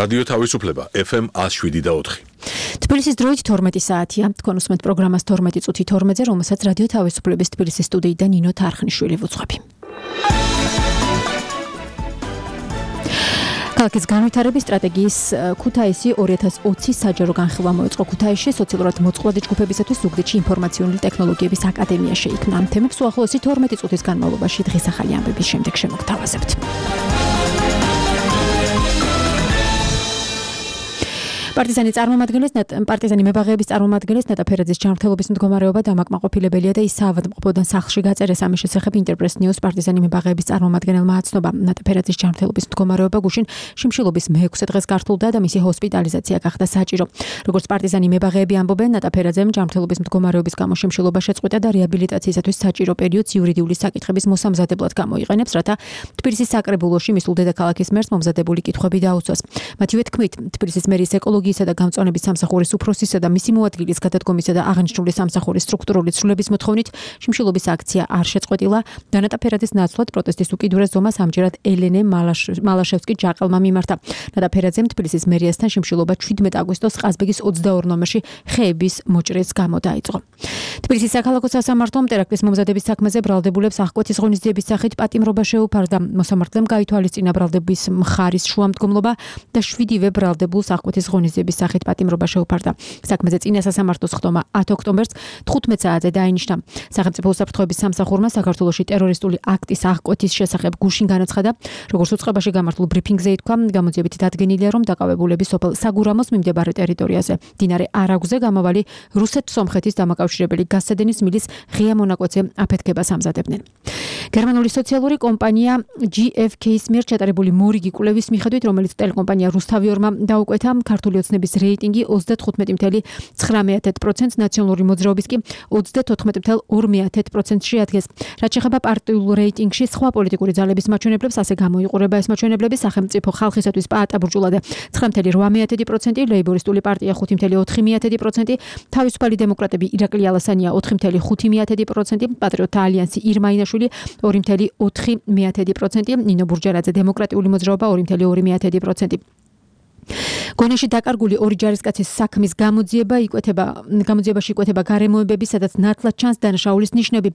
რადიო თავისუფლება FM 107.4. თბილისის დროით 12 საათია. თქვენ უსმენთ პროგრამას 12 წუთი 12-ზე, რომელსაც რადიო თავისუფლების თბილისის სტუდიიდან ნინო თარხნიშვილი ვუძღვები. ქალაქის განვითარების სტრატეგიის ქუთაისი 2020 საჯარო განხილვა მოეწყო ქუთაისში სოციალურად მოწყვლადი ჯგუფებისათვის ზუგდიდში ინფორმაციული ტექნოლოგიების აკადემია შეიქმნა. ამ თემებს უახლოესი 12 წუთის განმავლობაში დღის ახალი ამბების შემდეგ შემოგთავაზებთ. პარტიზანი მებაღეების წარმომადგენლის ნატა ფერაძის ჯანმრთელობის მდგომარეობა დამაკმაყოფილებელია და ის საავადმყოფოდან სახლში გაწერეს. ამის შესახებ ინტერპრეს ნიუს პარტიზანი მებაღეების წარმომადგენელმა აცნობა. ნატა ფერაძის ჯანმრთელობის მდგომარეობა გუშინ შიმშილობის მე-6 დღეს გართულდა და მისი ჰოსპიტალიზაცია გახდა საჭირო. როგორც პარტიზანი მებაღეები ამბობენ, ნატა ფერაძემ ჯანმრთელობის მდგომარეობის გამო შიმშილობა შეწყვიტა და რეაბილიტაციისათვის საჭირო პერიოდს იურიდიული საკითხების მოსამზადებლად გამოიყენებს, რათა თბილისის საკრებულოში მისულ დედაქალაქის მერს მომზადებული კითხვები დაუწვას. მათივე თქმით, თბილისის მერის ეკოლოგიისა და გამწვანების სამსახურის უფროსისა და მისი მოადგილის გადადგომისა და აღნიშნული სამსახურის სტრუქტურული ცვლილების მოთხოვნით შიმშილობის აქცია არ შეწყვეტილა და ნატა ფერაძის ნაცვლად პროტესტის უკიდურეს ზომას ამჯერად ელენე მალაშევსკი ჯაყელმა მიმართა. ნატა ფერაძემ თბილისის მერიასთან შიმშილობა 17 აგვისტოს ყაზბეგის 22 ნომერში ხეების მოჭრის გამო დაიწყო. თბილისის საქალაქო სასამართლომ ტერაქტის მომზადების საქმეზე ბრალდებულებს აღკვეთის ღონისძიების სახით პატიმრობა შეუფარდა. მოსამართლემ გაითვალისწინა ბრალდების მხარის შუამდგომლობა და 7-ვე ბრალდებულს აღკვეთის ღონისძიების სახით პატიმრობა შეუფარდა. საქმეზე წინა სასამართლოს ხდომა 10 ოქტომბერს 15 საათზე დაინიშნა. სახელმწიფო უსაფრთხოების სამსახურმა საქართველოში ტერორისტული აქტის აღკვეთის შესახებ გუშინ განაცხადა. როგორც უწყებაში გამართულ ბრიფინგზე ითქვა, გამოძიებით დადგენილია, რომ დაკავებულები სოფელ საგურამოს მიმდებარე ტერიტორიაზე მდინარე არაგუზე გამავალი რუსეთ-სომხეთის დამაკავშირებელი გაზსადენის მილის ღია მონაკვეთზე აფეთქებას ამზადებდნენ. გერმანული სოციალური კომპანია GfK-ის მიერ ჩატარებული მორიგი კვლევის მიხედვით, რომელიც ტელეკომპანია რუსთავიორმა დაუკვეთა, ქართული ოცნების რეიტინგი 35.9%-ს, ნაციონალური მოძრაობის კი 34.2%-ს შეადგენს. რაც შეეხება პარტიულ რეიტინგში სხვა პოლიტიკური ძალების მაჩვენებლებს, ასე გამოიყურება ეს მაჩვენებლები: სახელმწიფო ხალხისათვის პაატა ბურჯულაძე 9.8%, ლეიბორისტული პარტია 5.4%, თავისუფალი დემოკრატები ირაკლი ალასანია 4.5%, პატრიოტთა ალიანსი ირმა ინაშვილი 2.4%, ნინო ბურჯარაძე დემოკრატიული მოძრაობა 2.2%. გონეში დაკარგული ორი ჯარისკაცის საქმის გამოძიებაში იკვეთება გარემოებები, სადაც ნათლად ჩანს დანაშაულის ნიშნები.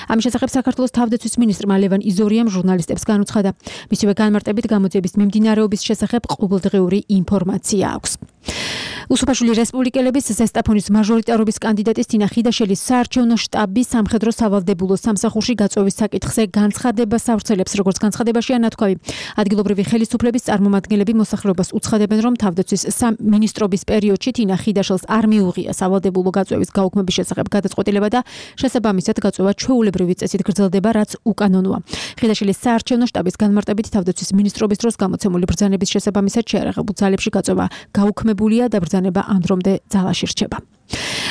ამის შესახებ საქართველოს თავდაცვის მინისტრმა ლევან იზორიამ ჟურნალისტებს განუცხადა. მისივე განმარტებით გამოძიების მიმდინარეობის შესახებ ყოველდღიური ინფორმაცია აქვს. უსუფაშული რესპუბლიკელების ზესტაფონის მაჟორიტარობის კანდიდატის თინა ხიდაშელის საარჩევნო შტაბი სამხედრო სავალდებულო სამსახურში გაწვევის საკითხზე განცხადებას ავრცელებს. როგორც განცხადებაშია ნათქვამი, ადგილობრივი ხელისუფლების წარმომადგენლები მოსახლეობას უცხადებენ, რომ თავდაცვის სამინისტრობის პერიოდში თინა ხიდაშელს არ მიუღია სავალდებულო გაწვევის გაუქმების შესახებ გადაწყვეტილება და შესაბამისად გაწვევა ჩვეულებრივი წესით გრძელდება, რაც უკანონოა. ხიდაშელის საარჩევნო შტაბის განმარტებით თავდაცვის მინისტრობის დროს გამოცემული ბრძანების შესაბამისად შეარაღებულ ძალებში გაწვევა გაუქმებულია და ბრძანება ამ დრომდე ძალაში რჩება.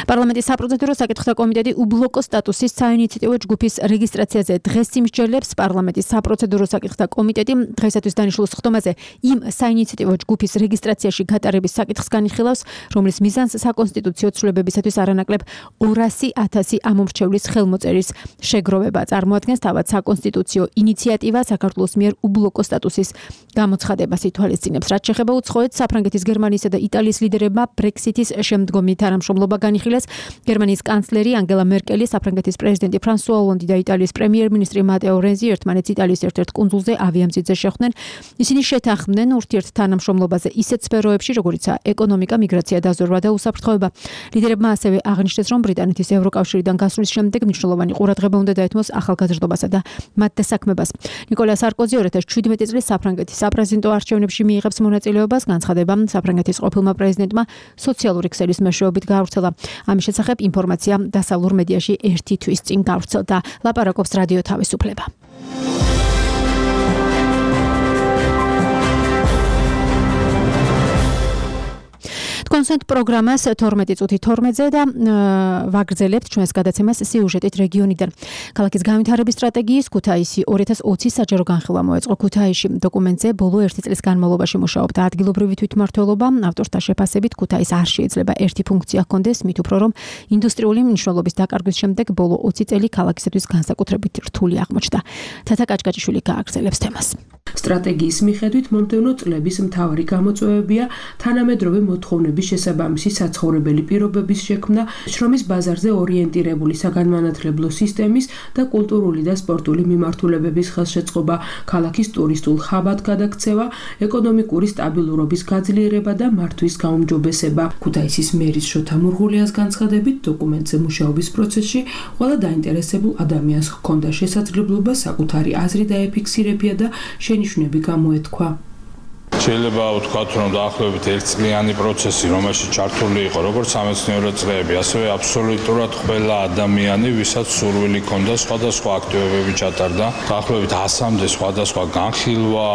პარლამენტის საპროცედურო საკითხთა კომიტეტი უბლოკო სტატუსის საინიციატივო ჯგუფის რეგისტრაციაზე დღეს იმსჯელებს. პარლამენტის საპროცედურო საკითხთა კომიტეტი დღესათვის დანიშნულ სხდომაზე იმ საინიციატივო ჯგუფის რეგისტრაციაში გატარების საკითხს განიხილავს, რომლის მიზანს საკონსტიტუციო ცვლილებებისათვის არანაკლებ 200,000 ამომრჩევლის ხელმოწერის შეგროვება წარმოადგენს. თავად საკონსტიტუციო ინიციატივა საქართველოს მიერ უბლოკო სტატუსის გამოცხადებას ითვალისწინებს. რაც შეეხება უცხოეთს, საფრანგეთის, გერმანიისა და იტალიის ლიდერებმა ბრექსიტის შემდგომი თანამშრომლობა განიხილეს. გერმანიის კანცლერი ანგელა მერკელი, საფრანგეთის პრეზიდენტი ფრანსუა ოლონდი და იტალიის პრემიერ-მინისტრი მატეო რენზი ერთმანეთს იტალიის ერთ-ერთ კუნძულზე ავიამზიდზე შეხვდნენ. ისინი შეთანხმდნენ ურთიერთ თანამშრომლობაზე ისეთ სფეროებში, როგორიცაა ეკონომიკა, მიგრაცია, დაზვერვა და უსაფრთხოება. ლიდერებმა ასევე აღნიშნეს, რომ ბრიტანეთის ევროკავშირიდან გასვლის შემდეგ მნიშვნელოვანი ყურადღება უნდა დაეთმოს ახალგაზრდობასა და მათ დასაქმებას. ნიკოლა სარკოზი 2017 წლის საფრანგეთის საპრეზიდენტო არჩევნებში მიიღებს მონაწილეობას. განცხადება საფრანგეთის ყოფილმა პრეზიდენტმა სოციალური ქსელის მეშვეობით გაავრცელა. ამის შესახებ ინფორმაცია დასავლურ მედიაში 1 თვის წინ გავრცელდა. ლაპარაკობს რადიო თავისუფლება. კონსენტ პროგრამას 12:12-ზე და ვაგრძელებთ ჩვენს გადაცემას სიუჟეტით რეგიონიდან. ქალაქის განვითარების სტრატეგიის ქუთაისი 2020 საჯარო განხილვა მოეწყო ქუთაისში. დოკუმენტზე ბოლო 1 წლის განმავლობაში მუშაობდა ადგილობრივი თვითმმართველობა. ავტორთა შეფასებით ქუთაისს არ შეიძლება ერთი ფუნქცია ჰქონდეს, მით უფრო რომ ინდუსტრიული მნიშვნელობის დაკარგვის შემდეგ ბოლო 20 წელი ქალაქისათვის განსაკუთრებით რთული აღმოჩნდა. თათა კაჭკაჭიშვილი გააგრძელებს თემას. სტრატეგიის მიხედვით მომდევნო წლების მთავარი გამოწვევებია თანამედროვე მოთხოვნების შესაბამისი საცხოვრებელი პირობების შექმნა, შრომის ბაზარზე ორიენტირებული საგანმანათლებლო სისტემის და კულტურული და სპორტული მიმართულებების ხელშეწყობა, ქალაქის ტურისტულ ხაბად გადაქცევა, ეკონომიკური სტაბილურობის გაძლიერება და მართვის გაუმჯობესება. ქუთაისის მერის შოთა მურღულიას განცხადებით, დოკუმენტზე მუშაობის პროცესში ყველა დაინტერესებულ ადამიანს ჰქონდა შესაძლებლობა საკუთარი აზრი დაეფიქსირებია და შენიშვნები გამოეთქვა. შეიძლება ვთქვათ, რომ დაახლოებით 1 წლიანი პროცესი, რომელშიც ჩართული იყო როგორც სამეცნიერო წრეები, ასევე აბსოლუტურად ყველა ადამიანი, ვისაც სურვილი ჰქონდა სხვადასხვა აქტივობები ჩატარდა, დაახლოებით 100-მდე სხვადასხვა განხილვა,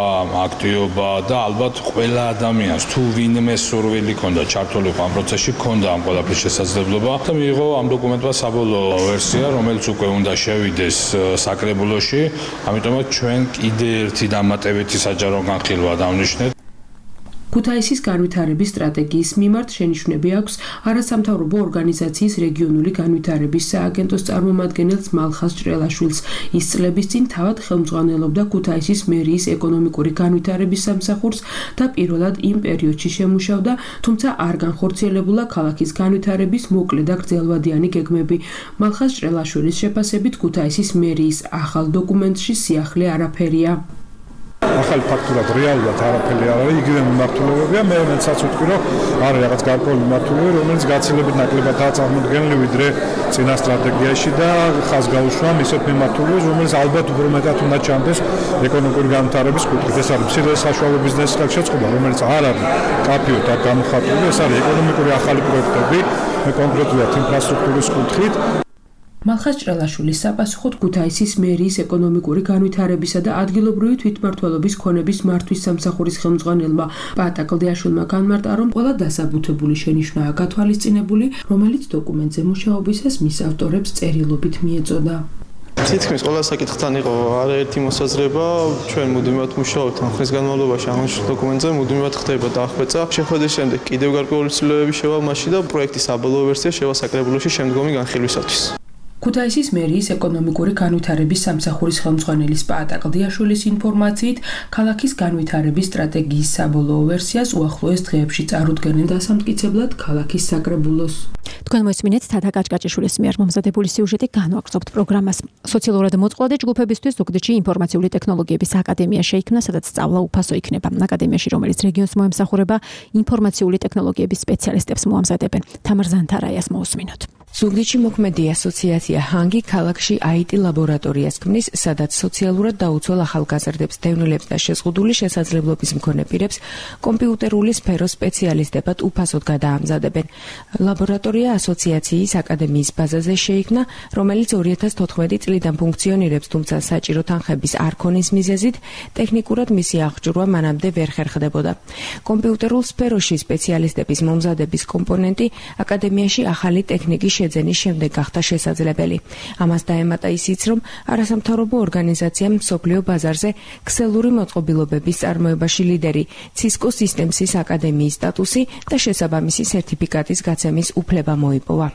აქტივობა და ალბათ ყველა ადამიანს თუ ვინმე სურვილი ჰქონდა ჩართულიყო ამ პროცესში, ჰქონდა ამ ყველაფრის შესაძლებლობა და მიიღო ამ დოკუმენტმა საბოლოო ვერსია, რომელიც უკვე უნდა შევიდეს საკრებულოში, ამიტომაც ჩვენ კიდე ერთი დამატებითი საჯარო განხილვა დავნიშნეთ. ქუთაისის განვითარების სტრატეგიის მიმართ შენიშვნები აქვს არასამთავრობო ორგანიზაციის რეგიონული განვითარების სააგენტოს წარმომადგენელს მალხაზ ჭრელაშვილს. ის წლების წინ თავად ხელმძღვანელობდა ქუთაისის მერიის ეკონომიკური განვითარების სამსახურს და პირველად იმ პერიოდში შემუშავდა, თუმცა არ განხორციელებულა ქალაქის განვითარების მოკლე და გრძელვადიანი გეგმები. მალხაზ ჭრელაშვილის შეფასებით ქუთაისის მერიის ახალ დოკუმენტში სიახლე არაფერია. ახალი ფაქტურად რეალურად არაფერი არ არის, იგივე მიმართულებებია, მე მეცაც ვთქვი, რომ არის რაღაც გარკვეული მიმართულებები, რომელიც გაცილებით ნაკლებადაა წარმოდგენილი ვიდრე წინა სტრატეგიაში და ხაზს გაუშვა ისეთ მიმართულებებს, რომელიც ალბათ უფრო მეტად უნდა ჩამდეს ეკონომიკური განვითარების კუთხით. ეს არის მცირე საშუალო ბიზნესის ხელშეწყობა, რომელიც არ არის კაფიოდ არ გამოხატული, ეს არის ეკონომიკური ახალი პროექტები, კონკრეტულად ინფრასტრუქტურის კუთხით. მალხაზ ჭრელაშვილის საპასუხოდ ქუთაისის მერიის ეკონომიკური განვითარებისა და ადგილობრივი თვითმმართველობის ქონების მართვის სამსახურის ხელმძღვანელმა პაატა კლდიაშვილმა განმარტა, რომ ყველა დასაბუთებული შენიშვნაა გათვალისწინებული, რომელიც დოკუმენტზე მუშაობისას მის ავტორებს წერილობით მიეწოდა. თითქმის ყველა საკითხთან იყო არაერთი მოსაზრება, ჩვენ მუდმივად მუშაობთ ამ ხნის განმავლობაში აღნიშნულ დოკუმენტზე, მუდმივად ხდება დახვეწა. შეხვედრის შემდეგ კიდევ გარკვეული ცვლილებები შევა მასში და პროექტის საბოლოო ვერსია შევა საკრებულოში შემდგომი განხილვისათვის. ქუთაისის მერიის ეკონომიკური განვითარების სამსახურის ხელმძღვანელის პაატა კლდიაშვილის ინფორმაციით, ქალაქის განვითარების სტრატეგიის საბოლოო ვერსიას უახლოეს დღეებში წარუდგენენ დასამტკიცებლად ქალაქის საკრებულოს. თქვენ მოისმინეთ თათა კაჭკაჭიშვილის მიერ მომზადებული სიუჟეტი, განვაგრძობთ პროგრამას. სოციალურად მოწყვლადი ჯგუფებისთვის ზუგდიდში ინფორმაციული ტექნოლოგიების აკადემია შეიქმნა, სადაც სწავლა უფასო იქნება. აკადემიაში, რომელიც რეგიონს მოემსახურება, ინფორმაციული ტექნოლოგიების სპეციალისტებს მოამზადებენ. თამარ ზანთარაიას მოусმინოთ. ზუგდიდში მოქმედი ასოციაცია ჰანგი ქალაქში IT ლაბორატორიას ქმნის, სადაც სოციალურად დაუცველ ახალგაზრდებს, დევნილებს და შეზღუდული შესაძლებლობის მქონე პირებს კომპიუტერული სფეროს სპეციალისტებად უფასოდ გადაამზადებენ. ლაბორატორია ასოციაციის აკადემიის ბაზაზე შეიქმნა, რომელიც 2014 წლიდან ფუნქციონირებს, თუმცა საჭირო თანხების არ ქონის მიზეზით ტექნიკურად მისი აღჭურვა მანამდე ვერ ხერხდებოდა. კომპიუტერულ სფეროში სპეციალისტების მომზადების კომპონენტი აკადემიაში ახალი ტექნიკის შეძენის შემდეგ გახდა შესაძლებელი. ამას დაემატა ისიც, რომ არასამთავრობო ორგანიზაციამ მსოფლიო ბაზარზე ქსელური მოწყობილობების წარმოებაში ლიდერი Cisco Systems-ის აკადემიის სტატუსი და შესაბამისი სერტიფიკატის გაცემის უფლება მოიპოვა.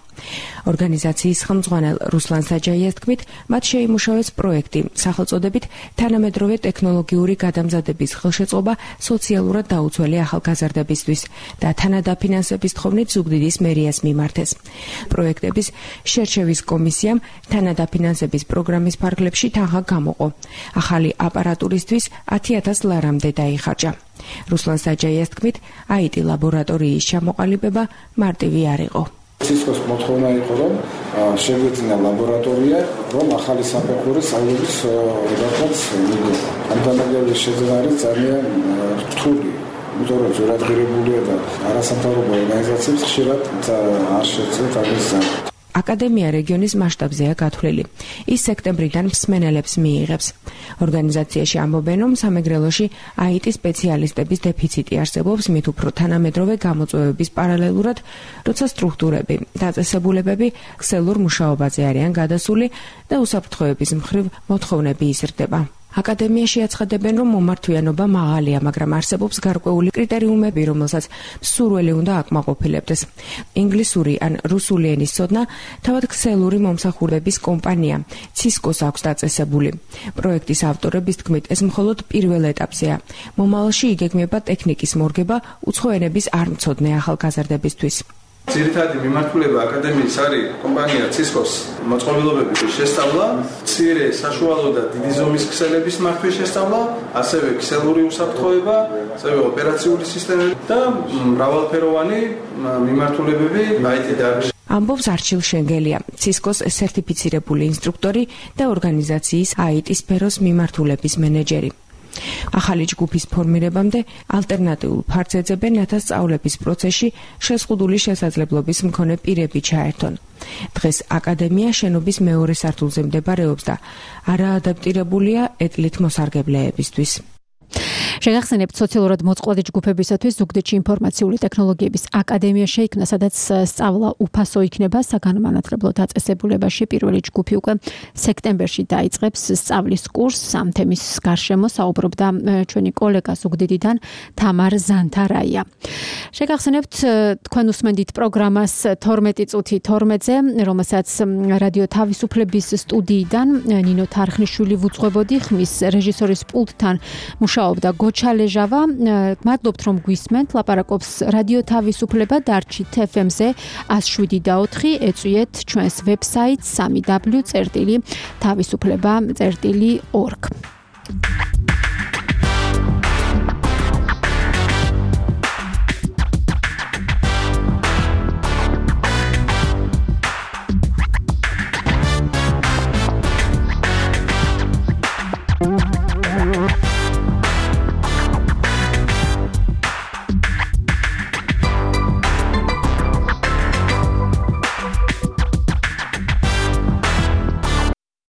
ორგანიზაციის ხელმძღვანელ რუსლან საჯაიას თქმით, მათ შეიმუშავეს პროექტი სახელწოდებით თანამედროვე ტექნოლოგიური გადამზადების ხელშეწყობა სოციალურად დაუცველი ახალგაზრდებისთვის და თანადაფინანსების თხოვნით ზუგდიდის მერიას მიმართეს. პროექტების შერჩევის კომისიამ თანადაფინანსების პროგრამის ფარგლებში თანხა გამოყო. ახალი აპარატურისთვის 10,000 ლარამდე დაიხარჯა. რუსლან საჯაიას თქმით, IT ლაბორატორიის ჩამოყალიბება მარტივი არ იყო. Cisco-s მოთხოვნა იყო, რომ შეგვეძინა ლაბორატორია, რომ ახალი საფეხური სწავლების რედაქციას მიგო. ამ დამაგრების შეძენა არის ძალიან რთული. იმიტომ რომ ზურაბგირებულია და არასამთავრობო ორგანიზაციებს ხშირად არ შეძლებს ამის აკადემია რეგიონის მასშტაბზეა გათვლილი. ის სექტემბრიდან მსმენელებს მიიღებს. ორგანიზაციაში ამბობენ, რომ სამეგრელოში IT სპეციალისტების დეფიციტი არსებობს, მით უფრო თანამედროვე გამოწვევების პარალელურად, როცა სტრუქტურები, დაწესებულებები ქსელურ მუშაობაზე არიან გადასული და უსაფრთხოების მხრივ მოთხოვნები იზრდება. აკადემიაში აცხადებენ, რომ მომართვიანობა მაღალია, მაგრამ არსებობს გარკვეული კრიტერიუმები, რომელსაც მსურველი უნდა აკმაყოფილებდეს. ინგლისური ან რუსული ენის ცოდნა თავად ქსელური მომსახურების კომპანია Cisco-ს აქვს დაწესებული. პროექტის ავტორების თქმით, ეს მხოლოდ პირველ ეტაპზეა. მომავალში იგეგმება ტექნიკის მორგება უცხო ენების არ მცოდნე ახალგაზრდებისთვის. ძირითადი მიმართულება აკადემიის არის კომპანია Cisco-ს მოწყობილობების შესწავლა, მცირე, საშუალო და დიდი ზომის ქსელების მართვის შესწავლა, ასევე ქსელური უსაფრთხოება, ასევე ოპერაციული სისტემები და მრავალფეროვანი მიმართულებები IT დარგში. ამბობს არჩილ შენგელია, Cisco-ს სერტიფიცირებული ინსტრუქტორი და ორგანიზაციის IT სფეროს მიმართულების მენეჯერი. ახალი ჯგუფის ფორმირებამდე ალტერნატიულ ფარც ეძებენ, რათა სწავლების პროცესში შეზღუდული შესაძლებლობის მქონე პირები ჩაერთონ. დღეს აკადემია შენობის მეორე სართულზე მდებარეობს და არაადაპტირებულია ეტლით მოსარგებლეებისთვის. შეგახსენებთ, სოციალურად მოწყვლადი ჯგუფებისათვის ზუგდიდში ინფორმაციული ტექნოლოგიების აკადემია შეიქმნა, სადაც სწავლა უფასო იქნება. საგანმანათლებლო დაწესებულებაში პირველი ჯგუფი უკვე სექტემბერში დაიწყებს სწავლის კურსს. ამ თემის გარშემო საუბრობდა ჩვენი კოლეგა ზუგდიდიდან თამარ ზანთარაია. შეგახსენებთ, თქვენ უსმენთ პროგრამას 12 წუთი 12-ზე, რომელსაც რადიო თავისუფლების სტუდიიდან ნინო თარხნიშვილი ვუძღვებოდი, ხმის რეჟისორის პულტთან მუშაობდა გოჩალეჟავა. მადლობთ, რომ გვისმენთ. ლაპარაკობს რადიო თავისუფლება დარჩით FM-ზე 107.4. ეწვიეთ ჩვენს ვებსაიტს www.tavisufleba.org.